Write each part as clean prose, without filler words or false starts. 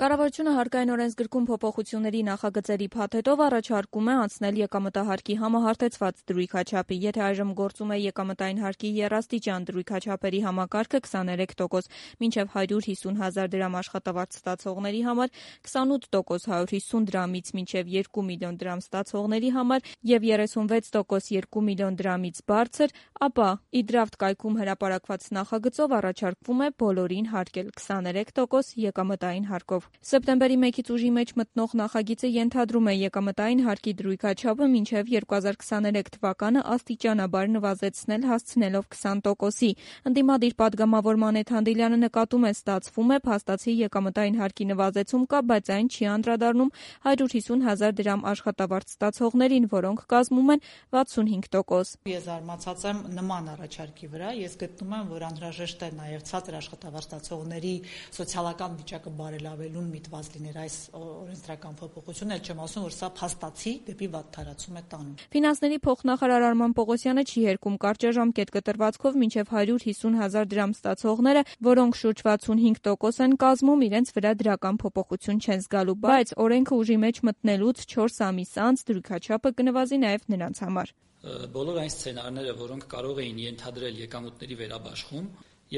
Կառավարությունը հարկային օրենսգրքում փոփոխությունների նախագծերի փաթեթով առաջարկում է անցնել եկամտահարկի համահարթեցված դրույքաչափի։ Եթե այժմ գործում է եկամտային հարկի եռաստիճան դրույքաչափերի համակարգը 23%, մինչև 150 հազար դրամ աշխատավարձ ստացողների համար, 28% 150 դրամից մինչև 2 միլիոն դրամ ստացողների համար և 36% 2 միլիոն դրամից բարձր, ապա իդրավտ կայքում հրապարակված նախագծով առաջարկվում է բոլորին հարկել 23% եկամտային հարկով։ Սեպտեմբերի 1-ից ուժի մեջ մտնող նախագիծը ենթադրում է եկամտային հարկի դրույքաչափը մինչև 2023 թվականը աստիճանաբար նվազեցնել հասցնելով 20%-ի։ Ընդդիմադիր պատգամավոր Մանեթ Հանդիլյանը նկատում է, ստացվում է փաստացի եկամտային հարկի նվազեցում կա, բայց այն չի անդրադառնում 150 հազար դրամ աշխատավարձ ստացողներին, որոնք կազմում են 65%։ Ես զարմացած եմ նման առաջարկի վրա, ես գտնում եմ, որ անհրաժեշտ է նաև ցածր աշխատավարձ ստացողների սոցիալական վիճակը բարելավելուն միտված լիներ այս օրենսդրական փոփոխությունը, էլ չեմ ասում, որ սա փաստացի դեպի վատթարացում է տանում։ Ֆինանսների փոխնախարար Արման Պողոսյանը չի հերքում կարճաժամկետ կտրվածքով մինչև 150 հազար դրամ ստացողները, որոնք շուրջ 65% են կազմում, իրենց վրա դրական փոփոխություն չեն զգալու, բայց օրենքը ուժի մեջ մտնելուց 4 ամիս անց դրույքաչափը կնվազի նաև նրանց համար։ Բոլոր այն սցենարները, որոնք կարող էին ենթադրել եկամուտների վերաբաշխում,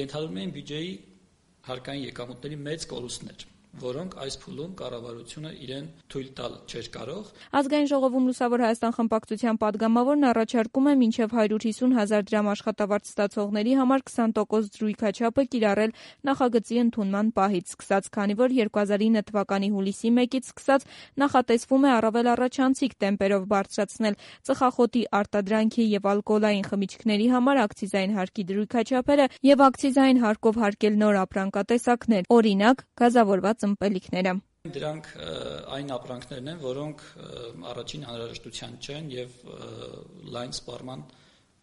ենթադրում էին բյուջեի հարկային եկամուտների մեծ կորուստներ, որոնք այս փուլում կառավարությունը իրեն թույլ տալ չէր կարող։ Ազգային ժողովում Լուսավոր Հայաստան խմբակցության պատգամավորն առաջարկում է մինչև 150 հազար դրամ աշխատավարձ ստացողների համար 20% դրույքաչափը կիրառել նախագծի ընդունման պահից սկսած, քանի որ 2009 թվականի հուլիսի 1-ից սկսած նախատեսվում է առավել առաջանցիկ տեմպերով բարձրացնել ծխախոտի արտադրանքի եւ ալկոհոլային խմիչքների համար ակցիզային հարկի դրույքաչափերը եւ ակցիզային հարկով հարկել նոր ապրանքատեսակներ, օրինակ գազավորված ըմպելիքները։ Դրանք այն ապրանքներն են, որոնք առաջին անհրաժեշտության չեն եւ լայն սպառման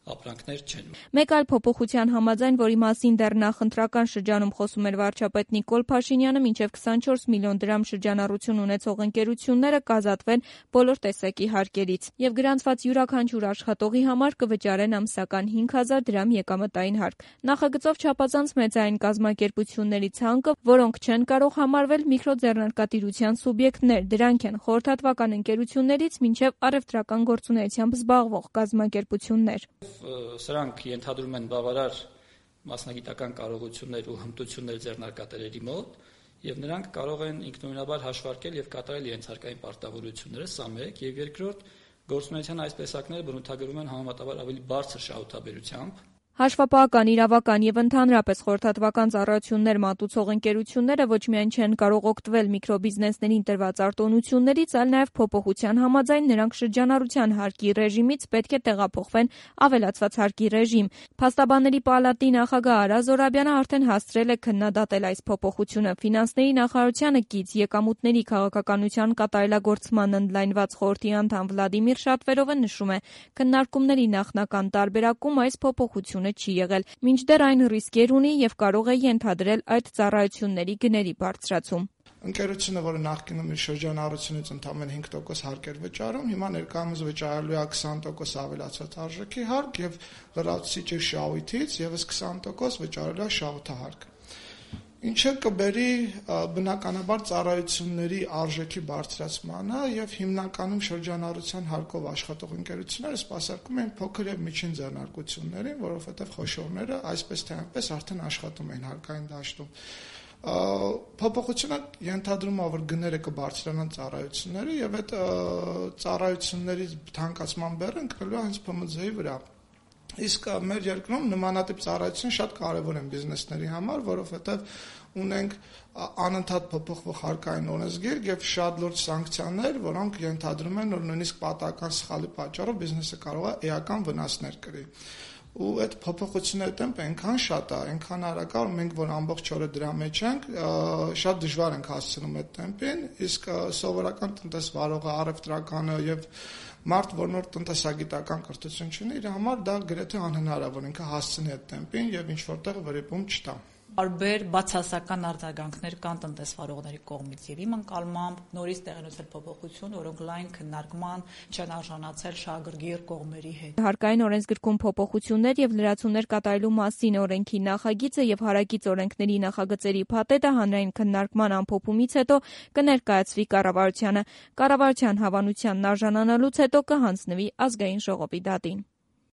ապրանքներ չեն։ Մեկ այլ փոփոխության համաձայն, որի մասին դեռ նախընտրական շրջանում խոսում էր վարչապետ Նիկոլ Փաշինյանը, մինչև 24 միլիոն դրամ շրջանառություն ունեցող ընկերությունները կազատվեն բոլոր տեսակի հարկերից եւ գրանցված յուրաքանչյուր աշխատողի համար կվճարեն ամսական 5000 դրամ եկամտային հարկ։ Նախագծով չափազանց մեծ է այն կազմակերպությունների ցանկը, որոնք չեն կարող համարվել միկրոձեռնարկատիրության սուբյեկտներ, դրանք են խորհրդատվական ընկերություններից մինչև առևտրական գործունեությամբ զբաղվող կազմակերպություններ։ Սրանք ենթադրում են բավարար մասնագիտական կարողություններ ու հմտություններ ձեռնարկատերերի մոտ, եւ նրանք կարող են ինքնուրույնաբար հաշվարկել եւ կատարել իրենց հարկային պարտավորությունները, սա մեկ, եւ երկրորդ, գործունեության այս տեսակները բնութագրվում են համեմատաբար ավելի բարձր շահութաբերությամբ։ Հաշվապահական, իրավական եւ ընդհանրապես խորհրդատվական ծառայություններ մատուցող ընկերությունները ոչ միայն չեն կարող օգտվել միկրոբիզնեսներին տրված արտոնություններից, այլ նաեւ փոփոխության համաձայն նրանք շրջանառության հարկի ռեժիմից պետք է տեղափոխվեն ավելացված հարկի ռեժիմ։ Փաստաբանների պալատի նախագահ Արա Զորաբյանը արդեն հասցրել է քննադատել այս փոփոխությունը։ Ֆինանսների նախարարությանը կից եկամուտների քաղաքականության կատարելագործման ընդլայնված խորհրդի անդամ Վլադիմիր Շատվերովը նշում է, քննարկումների նախնական տարբերակում այս փոփոխությունը չի եղել, մինչդեռ այն ռիսկեր ունի եւ կարող է ենթադրել այդ ծառայությունների գների բարձրացում։ Ընկերությունը, որը նախկինում իր շրջանառությունից ընդամենը 5% հարկ էր վճարում, հիմա ներկայումս վճարելու է 20% ավելացած արժեքի հարկ եւ լրացուցիչ շահույթից եւս 20% վճարելու է շահութահարկ։ Ինչը կբերի բնականաբար ծառայությունների արժեքի բարձրացմանը եւ հիմնականում շրջանառության հարկով աշխատող ընկերությունները սպասարկում են փոքր եւ միջին ձեռնարկություններին, որովհետեւ խոշորները այսպես թե այնպես արդեն աշխատում են հարկային դաշտում։ Փոփոխությունը ենթադրում է, որ գները կբարձրանան ծառայությունների եւ այդ ծառայությունների թանկացման բեռը ընկնելու է հենց ՓՄԶ-ի վրա։ Իսկ մեր երկրում նմանատիպ ծառայություն շատ կարևոր են բիզնեսների համար, որովհետև ունենք անընդհատ փոփոխվող հարկային օրենսգիր եւ շատ լուրջ սանկցիաներ, որոնք ենթադրում են, որ նույնիսկ պատահական սխալի պատճառով բիզնեսը կարող է էական վնասներ կրի։ Ու այդ փոփոխությունների տեմպը այնքան շատ է, այնքան արագ է, որ մենք որ ամբողջ օրը դրա մեջ ենք, շատ դժվար ենք հասցնում այդ տեմպին, իսկ սովորական տնտեսվարողը, առևտրականը եւ մարդ, որ նոր տնտեսագիտական կրթություն չունի, իր համար դա գրեթե անհնար է, որ ինքը հասցնի այդ տեմպին եւ ինչ որտեղ վրիպում չտա։ Տարբեր բացասական արձագանքներ կան տնտեսվարողների կողմից եւ իմ ընկալմամբ նորից տեղնուցել փոփոխություն, որոնք լայն քննարկման չեն արժանացել շահագրգիռ կողմերի հետ։ Հարկային օրենսգրքում փոփոխություններ եւ լրացումներ կատարելու մասին օրենքի նախագիծը եւ հարակից օրենքների նախագծերի փաթեթը հանրային քննարկման ամփոփումից հետո կներկայացվի կառավարությանը։ Կառավարության հավանությանն արժանանալուց հետո կհանձնվի ազգային ժողովի դատին։